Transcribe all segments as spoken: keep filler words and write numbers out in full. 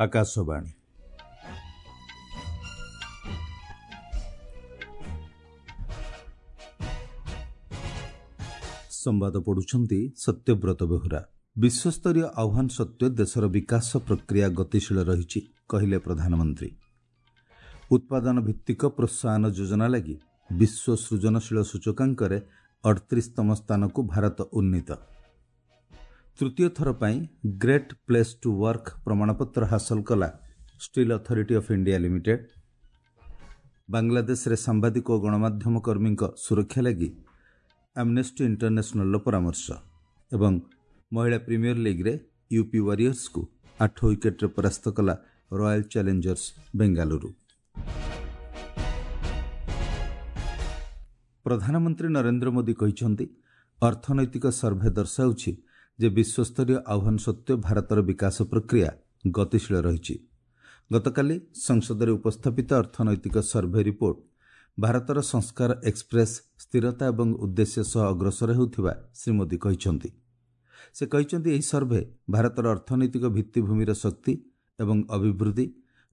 ଆକାଶବାଣୀ। ସମ୍ବାଦ ପଢୁଛନ୍ତି ସତ୍ୟବ୍ରତ ବେହୁରା। ବିଶ୍ୱସ୍ତରୀୟ ଆହ୍ୱାନ ସତ୍ତ୍ୱେ ଦେଶର ବିକାଶ ପ୍ରକ୍ରିୟା ଗତିଶୀଳ ରହିଛି, କହିଲେ ପ୍ରଧାନମନ୍ତ୍ରୀ। ଉତ୍ପାଦନ ଭିତ୍ତିକ ପ୍ରୋତ୍ସାହନ ଯୋଜନା ଲାଗି ବିଶ୍ୱ ସୃଜନଶୀଳ ସୂଚକାଙ୍କରେ ଅଠତିରିଶତମ ସ୍ଥାନକୁ ଭାରତ ଉନ୍ନୀତ। ତୃତୀୟ ଥର ପାଇଁ ଗ୍ରେଟ୍ ପ୍ଲେସ୍ ଟୁ ୱାର୍କ ପ୍ରମାଣପତ୍ର ହାସଲ କଲା steel authority of India limited. ବାଂଲାଦେଶରେ ସାମ୍ବାଦିକ ଓ ଗଣମାଧ୍ୟମ କର୍ମୀଙ୍କ ସୁରକ୍ଷା ଲାଗି ଆମ୍ନେଷ୍ଟି ଇଣ୍ଟରନ୍ୟାସନାଲର ପରାମର୍ଶ। ଏବଂ ମହିଳା ପ୍ରିମିୟର ଲିଗ୍ରେ ୟୁପି ୱାରିୟର୍ସକୁ ଆଠ ୱିକେଟ୍ରେ ପରାସ୍ତ କଲା ରୟାଲ ଚ୍ୟାଲେଞ୍ଜର୍ସ ବେଙ୍ଗାଲୁରୁ। ପ୍ରଧାନମନ୍ତ୍ରୀ ନରେନ୍ଦ୍ର ମୋଦି କହିଛନ୍ତି, ଅର୍ଥନୈତିକ ସର୍ଭେ ଦର୍ଶାଉଛି ଯେ ବିଶ୍ୱସ୍ତରୀୟ ଆହ୍ୱାନ ସତ୍ତ୍ୱେ ଭାରତର ବିକାଶ ପ୍ରକ୍ରିୟା ଗତିଶୀଳ ରହିଛି। ଗତକାଲି ସଂସଦରେ ଉପସ୍ଥାପିତ ଅର୍ଥନୈତିକ ସର୍ଭେ ରିପୋର୍ଟ ଭାରତର ସଂସ୍କାର ଏକ୍ସପ୍ରେସ୍ ସ୍ଥିରତା ଏବଂ ଉଦ୍ଦେଶ୍ୟ ସହ ଅଗ୍ରସର ହେଉଥିବା ଶ୍ରୀ ମୋଦି କହିଛନ୍ତି। ସେ କହିଛନ୍ତି, ଏହି ସର୍ଭେ ଭାରତର ଅର୍ଥନୈତିକ ଭିତ୍ତିଭୂମିର ଶକ୍ତି ଏବଂ ଅଭିବୃଦ୍ଧି,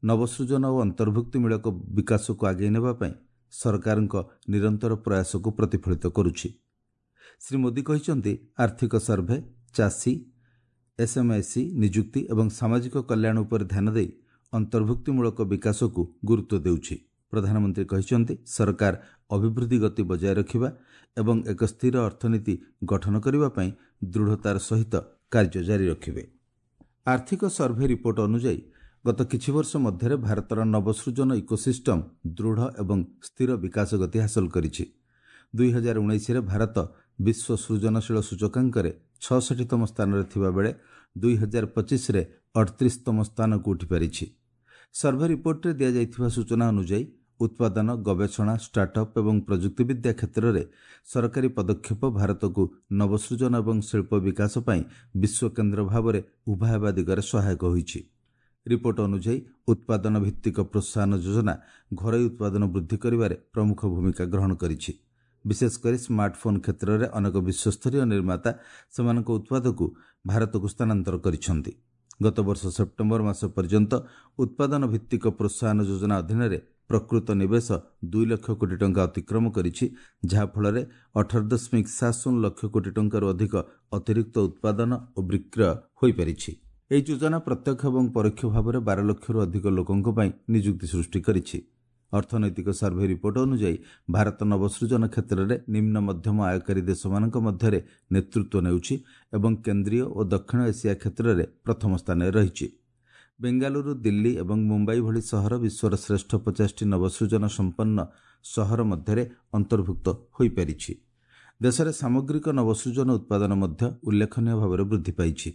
ନବସୃଜନ ଓ ଅନ୍ତର୍ଭୁକ୍ତିମୂଳକ ବିକାଶକୁ ଆଗେଇ ନେବା ପାଇଁ ସରକାରଙ୍କ ନିରନ୍ତର ପ୍ରୟାସକୁ ପ୍ରତିଫଳିତ କରୁଛି। ଶ୍ରୀ ମୋଦି କହିଛନ୍ତି, ଆର୍ଥିକ ସର୍ଭେ ଚାଷୀ, ଏସ୍ଏମ୍ଏସ୍ଇ, ନିଯୁକ୍ତି ଏବଂ ସାମାଜିକ କଲ୍ୟାଣ ଉପରେ ଧ୍ୟାନ ଦେଇ ଅନ୍ତର୍ଭୁକ୍ତିମୂଳକ ବିକାଶକୁ ଗୁରୁତ୍ୱ ଦେଉଛି। ପ୍ରଧାନମନ୍ତ୍ରୀ କହିଛନ୍ତି, ସରକାର ଅଭିବୃଦ୍ଧି ଗତି ବଜାୟ ରଖିବା ଏବଂ ଏକ ସ୍ଥିର ଅର୍ଥନୀତି ଗଠନ କରିବା ପାଇଁ ଦୃଢ଼ତାର ସହିତ କାର୍ଯ୍ୟ ଜାରି ରଖିବେ। ଆର୍ଥିକ ସର୍ଭେ ରିପୋର୍ଟ ଅନୁଯାୟୀ ଗତ କିଛି ବର୍ଷ ମଧ୍ୟରେ ଭାରତର ନବସୃଜନ ଇକୋସିଷ୍ଟମ ଦୃଢ଼ ଏବଂ ସ୍ଥିର ବିକାଶ ଗତି ହାସଲ କରିଛି। ଦୁଇ ହଜାର ଉଣେଇଶରେ ଭାରତ ବିଶ୍ୱ ସୃଜନଶୀଳ ସୂଚକାଙ୍କରେ ଛଅଷଠିତମ ସ୍ଥାନରେ ଥିବାବେଳେ ଦୁଇ ହଜାର ପଚିଶରେ ଅଠତିରିଶତମ ସ୍ଥାନକୁ ଉଠିପାରିଛି। ସର୍ଭେ ରିପୋର୍ଟରେ ଦିଆଯାଇଥିବା ସୂଚନା ଅନୁଯାୟୀ ଉତ୍ପାଦନ, ଗବେଷଣା, ଷ୍ଟାର୍ଟଅପ୍ ଏବଂ ପ୍ରଯୁକ୍ତିବିଦ୍ୟା କ୍ଷେତ୍ରରେ ସରକାରୀ ପଦକ୍ଷେପ ଭାରତକୁ ନବସୃଜନ ଏବଂ ଶିଳ୍ପ ବିକାଶ ପାଇଁ ବିଶ୍ୱ କେନ୍ଦ୍ର ଭାବରେ ଉଭା ହେବା ଦିଗରେ ସହାୟକ ହୋଇଛି। ରିପୋର୍ଟ ଅନୁଯାୟୀ ଉତ୍ପାଦନ ଭିତ୍ତିକ ପ୍ରୋତ୍ସାହନ ଯୋଜନା ଘରୋଇ ଉତ୍ପାଦନ ବୃଦ୍ଧି କରିବାରେ ପ୍ରମୁଖ ଭୂମିକା ଗ୍ରହଣ କରିଛି। ବିଶେଷକରି ସ୍ମାର୍ଟଫୋନ୍ କ୍ଷେତ୍ରରେ ଅନେକ ବିଶ୍ୱସ୍ତରୀୟ ନିର୍ମାତା ସେମାନଙ୍କ ଉତ୍ପାଦକୁ ଭାରତକୁ ସ୍ଥାନାନ୍ତର କରିଛନ୍ତି। ଗତବର୍ଷ ସେପ୍ଟେମ୍ବର ମାସ ପର୍ଯ୍ୟନ୍ତ ଉତ୍ପାଦନ ଭିତ୍ତିକ ପ୍ରୋତ୍ସାହନ ଯୋଜନା ଅଧୀନରେ ପ୍ରକୃତ ନିବେଶ ଦୁଇ ଲକ୍ଷ କୋଟି ଟଙ୍କା ଅତିକ୍ରମ କରିଛି, ଯାହାଫଳରେ ଅଠର ଦଶମିକ ସାତ ଶୂନ ଲକ୍ଷ କୋଟି ଟଙ୍କାରୁ ଅଧିକ ଅତିରିକ୍ତ ଉତ୍ପାଦନ ଓ ବିକ୍ରୟ ହୋଇପାରିଛି। ଏହି ଯୋଜନା ପ୍ରତ୍ୟକ୍ଷ ଏବଂ ପରୋକ୍ଷ ଭାବରେ ବାର ଲକ୍ଷରୁ ଅଧିକ ଲୋକଙ୍କ ପାଇଁ ନିଯୁକ୍ତି ସୃଷ୍ଟି କରିଛି। ଅର୍ଥନୈତିକ ସର୍ଭେ ରିପୋର୍ଟ ଅନୁଯାୟୀ ଭାରତ ନବସୃଜନ କ୍ଷେତ୍ରରେ ନିମ୍ନ ମଧ୍ୟମ ଆୟକାରୀ ଦେଶମାନଙ୍କ ମଧ୍ୟରେ ନେତୃତ୍ୱ ନେଉଛି ଏବଂ କେନ୍ଦ୍ରୀୟ ଓ ଦକ୍ଷିଣ ଏସିଆ କ୍ଷେତ୍ରରେ ପ୍ରଥମ ସ୍ଥାନରେ ରହିଛି। ବେଙ୍ଗାଲୁରୁ, ଦିଲ୍ଲୀ ଏବଂ ମୁମ୍ବାଇ ଭଳି ସହର ବିଶ୍ୱର ଶ୍ରେଷ୍ଠ ପଚାଶଟି ନବସୃଜନ ସମ୍ପନ୍ନ ସହର ମଧ୍ୟରେ ଅନ୍ତର୍ଭୁକ୍ତ ହୋଇପାରିଛି। ଦେଶରେ ସାମଗ୍ରିକ ନବସୃଜନ ଉତ୍ପାଦନ ମଧ୍ୟ ଉଲ୍ଲେଖନୀୟ ଭାବରେ ବୃଦ୍ଧି ପାଇଛି।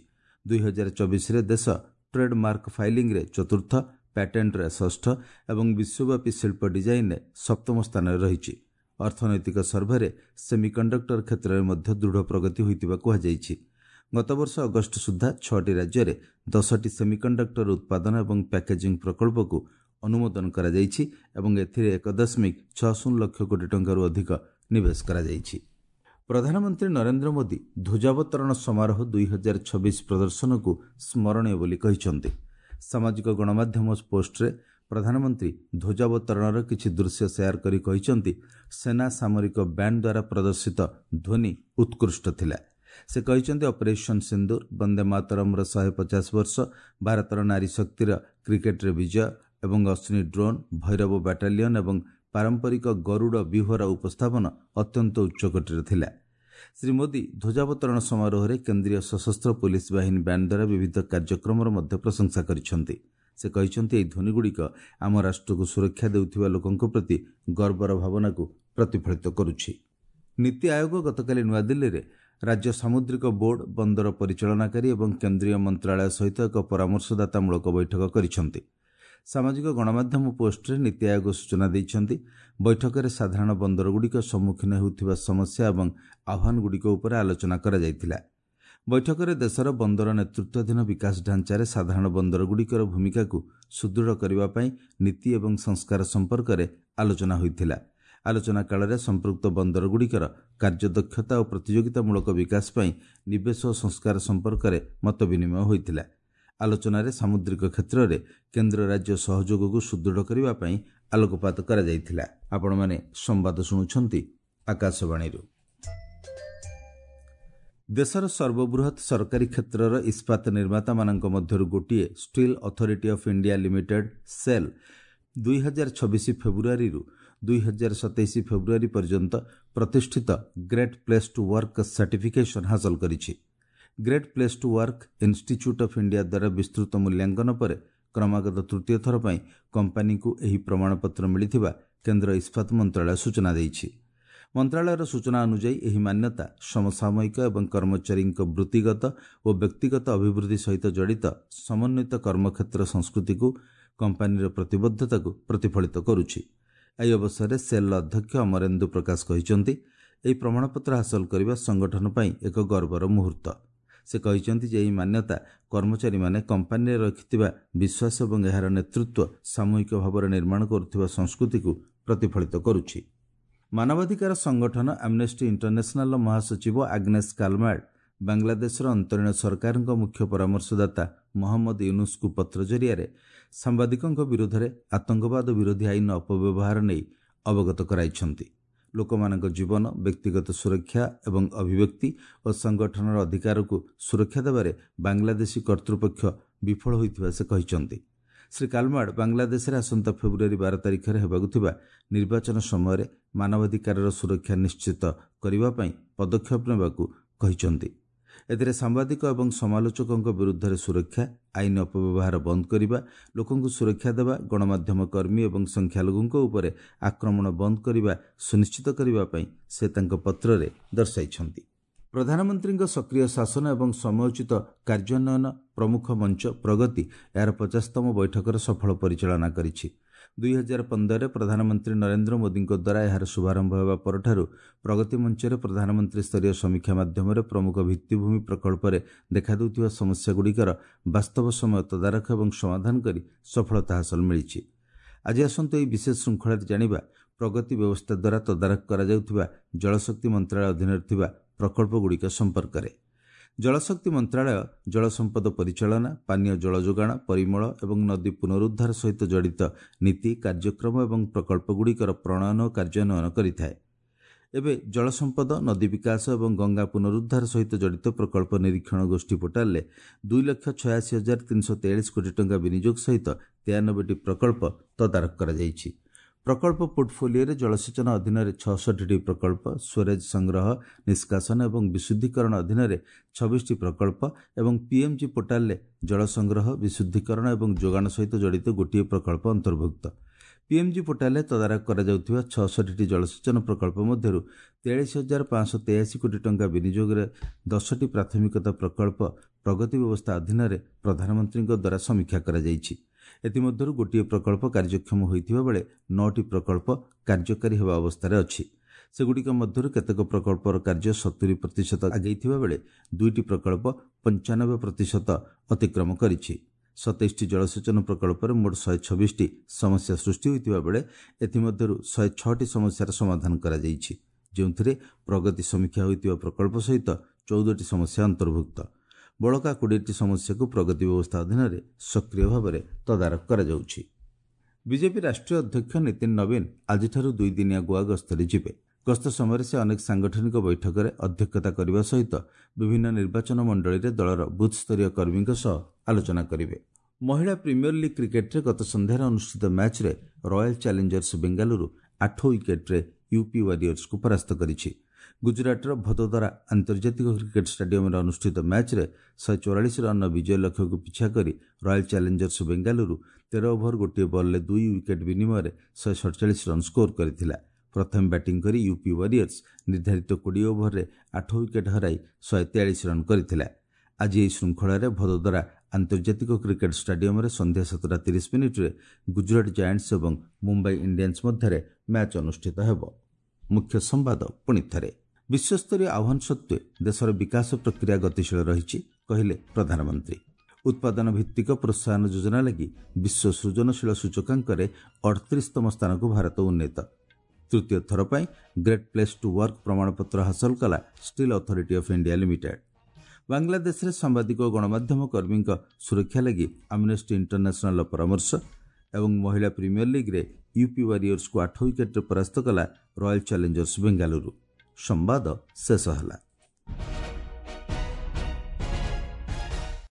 ଦୁଇ ହଜାର ଚବିଶରେ ଦେଶ ଟ୍ରେଡମାର୍କ ଫାଇଲିଂରେ ଚତୁର୍ଥ, ପ୍ୟାଟେଣ୍ଟରେ ଷଷ୍ଠ ଏବଂ ବିଶ୍ୱବ୍ୟାପୀ ଶିଳ୍ପ ଡିଜାଇନରେ ସପ୍ତମ ସ୍ଥାନରେ ରହିଛି। ଅର୍ଥନୈତିକ ସର୍ଭେରେ ସେମିକଣ୍ଡକ୍ଟର କ୍ଷେତ୍ରରେ ମଧ୍ୟ ଦୃଢ଼ ପ୍ରଗତି ହୋଇଥିବା କୁହାଯାଇଛି। ଗତବର୍ଷ ଅଗଷ୍ଟ ସୁଦ୍ଧା ଛଅଟି ରାଜ୍ୟରେ ଦଶଟି ସେମିକଣ୍ଡକ୍ଟର ଉତ୍ପାଦନ ଏବଂ ପ୍ୟାକେଜିଂ ପ୍ରକଳ୍ପକୁ ଅନୁମୋଦନ କରାଯାଇଛି ଏବଂ ଏଥିରେ ଏକ ଦଶମିକ ଛଅ ଶୂନ ଲକ୍ଷ କୋଟି ଟଙ୍କାରୁ ଅଧିକ ନିବେଶ କରାଯାଇଛି। ପ୍ରଧାନମନ୍ତ୍ରୀ ନରେନ୍ଦ୍ର ମୋଦି ଧ୍ୱଜାବତରଣ ସମାରୋହ ଦୁଇ ହଜାର ଛବିଶ ପ୍ରଦର୍ଶନକୁ ସ୍ମରଣୀୟ ବୋଲି କହିଛନ୍ତି। ସାମାଜିକ ଗଣମାଧ୍ୟମ ପୋଷ୍ଟରେ ପ୍ରଧାନମନ୍ତ୍ରୀ ଧ୍ୱଜାବତରଣର କିଛି ଦୃଶ୍ୟ ସେୟାର କରି କହିଛନ୍ତି, ସେନା ସାମରିକ ବ୍ୟାଣ୍ଡ ଦ୍ୱାରା ପ୍ରଦର୍ଶିତ ଧ୍ୱନି ଉତ୍କୃଷ୍ଟ ଥିଲା। ସେ କହିଛନ୍ତି, ଅପରେସନ୍ ସିନ୍ଦୁର, ବନ୍ଦେ ମାତରମ୍ର ଶହେ ପଚାଶ ବର୍ଷ, ଭାରତର ନାରୀ ଶକ୍ତିର କ୍ରିକେଟରେ ବିଜୟ ଏବଂ ଅଶ୍ୱିନୀ ଡ୍ରୋନ୍, ଭୈରବ ବାଟାଲିୟନ ଏବଂ ପାରମ୍ପରିକ ଗରୁଡ଼ ବ୍ୟୁହର ଉପସ୍ଥାପନ ଅତ୍ୟନ୍ତ ଉଚ୍ଚକୋଟୀର ଥିଲା। ଶ୍ରୀ ମୋଦି ଧ୍ୱଜାବତରଣ ସମାରୋହରେ କେନ୍ଦ୍ରୀୟ ସଶସ୍ତ୍ର ପୋଲିସ ବାହିନୀ ବ୍ୟାଣ୍ଡ ଦ୍ୱାରା ବିବିଧ କାର୍ଯ୍ୟକ୍ରମର ମଧ୍ୟ ପ୍ରଶଂସା କରିଛନ୍ତି। ସେ କହିଛନ୍ତି, ଏହି ଧ୍ୱନିଗୁଡ଼ିକ ଆମ ରାଷ୍ଟ୍ରକୁ ସୁରକ୍ଷା ଦେଉଥିବା ଲୋକଙ୍କ ପ୍ରତି ଗର୍ବର ଭାବନାକୁ ପ୍ରତିଫଳିତ କରୁଛି। ନୀତି ଆୟୋଗ ଗତକାଲି ନୂଆଦିଲ୍ଲୀରେ ରାଜ୍ୟ ସାମୁଦ୍ରିକ ବୋର୍ଡ, ବନ୍ଦର ପରିଚାଳନାକାରୀ ଏବଂ କେନ୍ଦ୍ରୀୟ ମନ୍ତ୍ରାଳୟ ସହିତ ଏକ ପରାମର୍ଶଦାତାମୂଳକ ବୈଠକ କରିଛନ୍ତି। ସାମାଜିକ ଗଣମାଧ୍ୟମ ପୋଷ୍ଟରେ ନୀତି ଆୟୋଗ ସୂଚନା ଦେଇଛନ୍ତି, ବୈଠକରେ ସାଧାରଣ ବନ୍ଦରଗୁଡ଼ିକ ସମ୍ମୁଖୀନ ହେଉଥିବା ସମସ୍ୟା ଏବଂ ଆହ୍ୱାନଗୁଡ଼ିକ ଉପରେ ଆଲୋଚନା କରାଯାଇଥିଲା। ବୈଠକରେ ଦେଶର ବନ୍ଦର ନେତୃତ୍ୱାଧୀନ ବିକାଶ ଢାଞ୍ଚାରେ ସାଧାରଣ ବନ୍ଦରଗୁଡ଼ିକର ଭୂମିକାକୁ ସୁଦୃଢ଼ କରିବା ପାଇଁ ନୀତି ଏବଂ ସଂସ୍କାର ସମ୍ପର୍କରେ ଆଲୋଚନା ହୋଇଥିଲା। ଆଲୋଚନା କାଳରେ ସମ୍ପୃକ୍ତ ବନ୍ଦରଗୁଡ଼ିକର କାର୍ଯ୍ୟଦକ୍ଷତା ଓ ପ୍ରତିଯୋଗିତାମୂଳକ ବିକାଶ ପାଇଁ ନିବେଶ ଓ ସଂସ୍କାର ସମ୍ପର୍କରେ ମତ ବିନିମୟ ହୋଇଥିଲା। ଆଲୋଚନାରେ ସାମୁଦ୍ରିକ କ୍ଷେତ୍ରରେ କେନ୍ଦ୍ର ରାଜ୍ୟ ସହଯୋଗକୁ ସୁଦୃଢ଼ କରିବା ପାଇଁ ଆଲୋକପାତ କରାଯାଇଥିଲା। ଆପଣମାନେ ସମ୍ବାଦ ଶୁଣୁଛନ୍ତି ଆକାଶବାଣୀରୁ। ଦେଶର ସର୍ବବୃହତ୍ ସରକାରୀ କ୍ଷେତ୍ରର ଇସ୍ପାତ ନିର୍ମାତାମାନଙ୍କ ମଧ୍ୟରୁ ଗୋଟିଏ Steel Authority of India Limited SAIL ଦୁଇ ହଜାର ଛବିଶ ଫେବୃଆରୀରୁ ଦୁଇ ହଜାର ସତେଇଶ ଫେବୃଆରୀ ପର୍ଯ୍ୟନ୍ତ ପ୍ରତିଷ୍ଠିତ Great Place to Work certification ହାସଲ କରିଛି। Great Place to Work Institute of India ଦ୍ୱାରା ବିସ୍ତୃତ ମୂଲ୍ୟାଙ୍କନ ପରେ କ୍ରମାଗତ ତୃତୀୟ ଥର ପାଇଁ କମ୍ପାନୀକୁ ଏହି ପ୍ରମାଣପତ୍ର ମିଳିଥିବା କେନ୍ଦ୍ର ଇସ୍ପାତ ମନ୍ତ୍ରାଳୟ ସୂଚନା ଦେଇଛି। ମନ୍ତ୍ରାଳୟର ସୂଚନା ଅନୁଯାୟୀ ଏହି ମାନ୍ୟତା ସମସାମୟିକ ଏବଂ କର୍ମଚାରୀଙ୍କ ବୃତ୍ତିଗତ ଓ ବ୍ୟକ୍ତିଗତ ଅଭିବୃଦ୍ଧି ସହିତ ଜଡ଼ିତ ସମନ୍ୱିତ କର୍ମକ୍ଷେତ୍ର ସଂସ୍କୃତିକୁ କମ୍ପାନୀର ପ୍ରତିବଦ୍ଧତାକୁ ପ୍ରତିଫଳିତ କରୁଛି। ଏହି ଅବସରରେ ସେଲ୍ର ଅଧ୍ୟକ୍ଷ ଅମରେନ୍ଦୁ ପ୍ରକାଶ କହିଛନ୍ତି, ଏହି ପ୍ରମାଣପତ୍ର ହାସଲ କରିବା ସଂଗଠନ ପାଇଁ ଏକ ଗର୍ବର ମୁହୂର୍ତ୍ତ। ସେ କହିଛନ୍ତି ଯେ ଏହି ମାନ୍ୟତା କର୍ମଚାରୀମାନେ କମ୍ପାନୀରେ ରଖିଥିବା ବିଶ୍ୱାସ ଏବଂ ଏହାର ନେତୃତ୍ୱ ସାମୂହିକ ଭାବରେ ନିର୍ମାଣ କରୁଥିବା ସଂସ୍କୃତିକୁ ପ୍ରତିଫଳିତ କରୁଛି। ମାନବାଧିକାର ସଂଗଠନ ଆମ୍ନେଷ୍ଟି ଇଣ୍ଟରନ୍ୟାସନାଲର ମହାସଚିବ ଆଗ୍ନେସ୍ କାଲମାର୍ଡ ବାଂଲାଦେଶର ଅନ୍ତରୀଣ ସରକାରଙ୍କ ମୁଖ୍ୟ ପରାମର୍ଶଦାତା ମହମ୍ମଦ ୟୁନୁସଙ୍କୁ ପତ୍ର ଜରିଆରେ ସାମ୍ବାଦିକଙ୍କ ବିରୋଧରେ ଆତଙ୍କବାଦ ବିରୋଧୀ ଆଇନର ଅପବ୍ୟବହାର ନେଇ ଅବଗତ କରାଇଛନ୍ତି। ଲୋକମାନଙ୍କ ଜୀବନ, ବ୍ୟକ୍ତିଗତ ସୁରକ୍ଷା ଏବଂ ଅଭିବ୍ୟକ୍ତି ଓ ସଂଗଠନର ଅଧିକାରକୁ ସୁରକ୍ଷା ଦେବାରେ ବାଂଲାଦେଶୀ କର୍ତ୍ତୃପକ୍ଷ ବିଫଳ ହୋଇଥିବା ସେ କହିଛନ୍ତି। ଶ୍ରୀ କାଲମାର୍ଡ ବାଂଲାଦେଶରେ ଆସନ୍ତା ଫେବୃଆରୀ ବାର ତାରିଖରେ ହେବାକୁ ଥିବା ନିର୍ବାଚନ ସମୟରେ ମାନବାଧିକାରର ସୁରକ୍ଷା ନିଶ୍ଚିତ କରିବା ପାଇଁ ପଦକ୍ଷେପ ନେବାକୁ କହିଛନ୍ତି। ଏଥିରେ ସାମ୍ବାଦିକ ଏବଂ ସମାଲୋଚକଙ୍କ ବିରୁଦ୍ଧରେ ସୁରକ୍ଷା, ଆଇନ ଅପବ୍ୟବହାର ବନ୍ଦ କରିବା, ଲୋକଙ୍କୁ ସୁରକ୍ଷା ଦେବା, ଗଣମାଧ୍ୟମ କର୍ମୀ ଏବଂ ସଂଖ୍ୟାଲଘୁଙ୍କ ଉପରେ ଆକ୍ରମଣ ବନ୍ଦ କରିବା ସୁନିଶ୍ଚିତ କରିବା ପାଇଁ ସେ ତାଙ୍କ ପତ୍ରରେ ଦର୍ଶାଇଛନ୍ତି। ପ୍ରଧାନମନ୍ତ୍ରୀଙ୍କ ସକ୍ରିୟ ଶାସନ ଏବଂ ସମୟୋଚିତ କାର୍ଯ୍ୟାନ୍ୱୟନ ପ୍ରମୁଖ ମଞ୍ଚ ପ୍ରଗତି ଏହାର ପଚାଶତମ ବୈଠକର ସଫଳ ପରିଚାଳନା କରିଛି। ଦୁଇ ହଜାର ପନ୍ଦରରେ ପ୍ରଧାନମନ୍ତ୍ରୀ ନରେନ୍ଦ୍ର ମୋଦିଙ୍କ ଦ୍ୱାରା ଏହାର ଶୁଭାରମ୍ଭ ହେବା ପରଠାରୁ ପ୍ରଗତି ମଞ୍ଚରେ ପ୍ରଧାନମନ୍ତ୍ରୀ ସ୍ତରୀୟ ସମୀକ୍ଷା ମାଧ୍ୟମରେ ପ୍ରମୁଖ ଭିତ୍ତିଭୂମି ପ୍ରକଳ୍ପରେ ଦେଖାଦେଉଥିବା ସମସ୍ୟାଗୁଡ଼ିକର ବାସ୍ତବ ସମୟ ତଦାରଖ ଏବଂ ସମାଧାନ କରି ସଫଳତା ହାସଲ ମିଳିଛି। ଆଜି ଆସନ୍ତୁ ଏହି ବିଶେଷ ଶୃଙ୍ଖଳାରେ ଜାଣିବା ପ୍ରଗତି ବ୍ୟବସ୍ଥା ଦ୍ୱାରା ତଦାରଖ କରାଯାଉଥିବା ଜଳଶକ୍ତି ମନ୍ତ୍ରାଳୟ ଅଧୀନରେ ଥିବା ପ୍ରକଳ୍ପଗୁଡ଼ିକ ସମ୍ପର୍କରେ। ଜଳଶକ୍ତି ମନ୍ତ୍ରାଳୟ ଜଳସମ୍ପଦ ପରିଚାଳନା, ପାନୀୟ ଜଳ ଯୋଗାଣ, ପରିମଳ ଏବଂ ନଦୀ ପୁନରୁଦ୍ଧାର ସହିତ ଜଡ଼ିତ ନୀତି, କାର୍ଯ୍ୟକ୍ରମ ଏବଂ ପ୍ରକଳ୍ପଗୁଡ଼ିକର ପ୍ରଣୟନ ଓ କାର୍ଯ୍ୟାନ୍ୱୟନ କରିଥାଏ। ଏବେ ଜଳସମ୍ପଦ, ନଦୀ ବିକାଶ ଏବଂ ଗଙ୍ଗା ପୁନରୁଦ୍ଧାର ସହିତ ଜଡ଼ିତ ପ୍ରକଳ୍ପ ନିରୀକ୍ଷଣ ଗୋଷ୍ଠୀ ପୋର୍ଟାଲରେ ଦୁଇ ଲକ୍ଷ ଛୟାଅଶୀ ହଜାର ତିନିଶହ ତେୟାଳିଶ କୋଟି ଟଙ୍କା ବିନିଯୋଗ ସହିତ ତେୟାନବେଟି ପ୍ରକଳ୍ପ ତଦାରଖ କରାଯାଇଛି। ପ୍ରକଳ୍ପ ପୋର୍ଟଫୋଲିଓରେ ଜଳସେଚନ ଅଧୀନରେ ଛଅଷଠିଟି ପ୍ରକଳ୍ପ, ସ୍ୱରେଜ ସଂଗ୍ରହ, ନିଷ୍କାସନ ଏବଂ ବିଶୁଦ୍ଧିକରଣ ଅଧୀନରେ ଛବିଶଟି ପ୍ରକଳ୍ପ ଏବଂ ପିଏମ୍ଜି ପୋର୍ଟାଲରେ ଜଳ ସଂଗ୍ରହ, ବିଶୁଦ୍ଧିକରଣ ଏବଂ ଯୋଗାଣ ସହିତ ଜଡ଼ିତ ଗୋଟିଏ ପ୍ରକଳ୍ପ ଅନ୍ତର୍ଭୁକ୍ତ। ପିଏମ୍ଜି ପୋର୍ଟାଲରେ ତଦାରଖ କରାଯାଉଥିବା ଛଅଷଠିଟି ଜଳସେଚନ ପ୍ରକଳ୍ପ ମଧ୍ୟରୁ ତେୟାଳିଶ ହଜାର ପାଞ୍ଚଶହ ତେୟାଅଶୀ କୋଟି ଟଙ୍କା ବିନିଯୋଗରେ ଦଶଟି ପ୍ରାଥମିକତା ପ୍ରକଳ୍ପ ପ୍ରଗତି ବ୍ୟବସ୍ଥା ଅଧୀନରେ ପ୍ରଧାନମନ୍ତ୍ରୀଙ୍କ ଦ୍ୱାରା ସମୀକ୍ଷା କରାଯାଇଛି। ଏଥିମଧ୍ୟରୁ ଗୋଟିଏ ପ୍ରକଳ୍ପ କାର୍ଯ୍ୟକ୍ଷମ ହୋଇଥିବା ବେଳେ ନଅଟି ପ୍ରକଳ୍ପ କାର୍ଯ୍ୟକାରୀ ହେବା ଅବସ୍ଥାରେ ଅଛି। ସେଗୁଡ଼ିକ ମଧ୍ୟରୁ କେତେକ ପ୍ରକଳ୍ପର କାର୍ଯ୍ୟ ସତୁରି ପ୍ରତିଶତ ଆଗେଇଥିବା ବେଳେ ଦୁଇଟି ପ୍ରକଳ୍ପ ପଞ୍ଚାନବେ ପ୍ରତିଶତ ଅତିକ୍ରମ କରିଛି। ସତେଇଶଟି ଜଳସେଚନ ପ୍ରକଳ୍ପରେ ମୋଟ ଶହେ ଛବିଶଟି ସମସ୍ୟା ସୃଷ୍ଟି ହୋଇଥିବା ବେଳେ ଏଥିମଧ୍ୟରୁ ଶହେ ଛଅଟି ସମସ୍ୟାର ସମାଧାନ କରାଯାଇଛି, ଯେଉଁଥିରେ ପ୍ରଗତି ସମୀକ୍ଷା ହୋଇଥିବା ପ୍ରକଳ୍ପ ସହିତ ଚଉଦଟି ସମସ୍ୟା ଅନ୍ତର୍ଭୁକ୍ତ। ବଳକା କୋଡ଼ିଏଟି ସମସ୍ୟାକୁ ପ୍ରଗତି ବ୍ୟବସ୍ଥା ଅଧୀନରେ ସକ୍ରିୟ ଭାବରେ ତଦାରଖ କରାଯାଉଛି। ବିଜେପି ରାଷ୍ଟ୍ରୀୟ ଅଧ୍ୟକ୍ଷ ନୀତିନ ନବୀନ ଆଜିଠାରୁ ଦୁଇଦିନିଆ ଗୋଆ ଗସ୍ତରେ ଯିବେ। ଗସ୍ତ ସମୟରେ ସେ ଅନେକ ସାଂଗଠନିକ ବୈଠକରେ ଅଧ୍ୟକ୍ଷତା କରିବା ସହିତ ବିଭିନ୍ନ ନିର୍ବାଚନ ମଣ୍ଡଳୀରେ ଦଳର ବୁଥ୍ସ୍ତରୀୟ କର୍ମୀଙ୍କ ସହ ଆଲୋଚନା କରିବେ। ମହିଳା ପ୍ରିମିୟର ଲିଗ୍ କ୍ରିକେଟ୍ରେ ଗତ ସନ୍ଧ୍ୟାରେ ଅନୁଷ୍ଠିତ ମ୍ୟାଚ୍ରେ ରୟାଲ ଚ୍ୟାଲେଞ୍ଜର୍ସ ବେଙ୍ଗାଲୁରୁ ଆଠ ୱିକେଟ୍ରେ ୟୁପି ୱାରିୟର୍ସକୁ ପରାସ୍ତ କରିଛି। ଗୁଜରାଟର ଭଦୋଦରା ଆନ୍ତର୍ଜାତିକ କ୍ରିକେଟ୍ ଷ୍ଟାଡିୟମରେ ଅନୁଷ୍ଠିତ ମ୍ୟାଚ୍ରେ ଶହେ ଚଉରାଳିଶ ରନ୍ର ବିଜୟ ଲକ୍ଷ୍ୟକୁ ପିଛା କରି ରୟାଲ ଚ୍ୟାଲେଞ୍ଜର୍ସ ବେଙ୍ଗାଲୁରୁ ତେର ଓଭର ଗୋଟିଏ ବଲ୍ରେ ଦୁଇ ୱିକେଟ୍ ବିନିମୟରେ ଶହେ ସଡ଼ଚାଳିଶ ରନ୍ ସ୍କୋର କରିଥିଲା। ପ୍ରଥମେ ବ୍ୟାଟିଂ କରି ୟୁପି ୱାରିୟର୍ସ ନିର୍ଦ୍ଧାରିତ କୋଡ଼ିଏ ଓଭରରେ ଆଠ ୱିକେଟ୍ ହରାଇ ଶହେ ତେୟାଳିଶ ରନ୍ କରିଥିଲା। ଆଜି ଏହି ଶୃଙ୍ଖଳାରେ ଭଦୋଦରା ଆନ୍ତର୍ଜାତିକ କ୍ରିକେଟ୍ ଷ୍ଟାଡିୟମରେ ସନ୍ଧ୍ୟା ସାତଟା ତିରିଶ ମିନିଟ୍ରେ ଗୁଜରାଟ ଜାଏଣ୍ଟସ୍ ଏବଂ ମୁମ୍ବାଇ ଇଣ୍ଡିଆନ୍ସ ମଧ୍ୟରେ ମ୍ୟାଚ୍ ଅନୁଷ୍ଠିତ ହେବ। ମୁଖ୍ୟ ସମ୍ବାଦ ପୁଣି ଥରେ। ବିଶ୍ୱସ୍ତରୀୟ ଆହ୍ୱାନ ସତ୍ତ୍ୱେ ଦେଶର ବିକାଶ ପ୍ରକ୍ରିୟା ଗତିଶୀଳ ରହିଛି, କହିଲେ ପ୍ରଧାନମନ୍ତ୍ରୀ। ଉତ୍ପାଦନ ଭିତ୍ତିକ ପ୍ରୋତ୍ସାହନ ଯୋଜନା ଲାଗି ବିଶ୍ୱ ସୃଜନଶୀଳ ସୂଚକାଙ୍କରେ ଅଠତିରିଶତମ ସ୍ଥାନକୁ ଭାରତ ଉନ୍ନୀତ। ତୃତୀୟ ଥର ପାଇଁ ଗ୍ରେଟ୍ ପ୍ଲେସ୍ ଟୁ ୱାର୍କ ପ୍ରମାଣପତ୍ର ହାସଲ କଲା Steel Authority of India Limited. ବାଂଲାଦେଶରେ ସାମ୍ବାଦିକ ଓ ଗଣମାଧ୍ୟମ କର୍ମୀଙ୍କ ସୁରକ୍ଷା ଲାଗି ଆମ୍ନେଷ୍ଟି ଇଣ୍ଟରନ୍ୟାସନାଲର ପରାମର୍ଶ ଏବଂ ମହିଳା ପ୍ରିମିୟର ଲିଗ୍ରେ ୟୁପି ୱାରିୟର୍ସକୁ ଆଠ ୱିକେଟ୍ରେ ପରାସ୍ତ କଲା ରୟାଲ୍ ଚ୍ୟାଲେଞ୍ଜର୍ସ ବେଙ୍ଗାଲୁରୁ। ସମ୍ବାଦ ଶେଷ ହେଲା।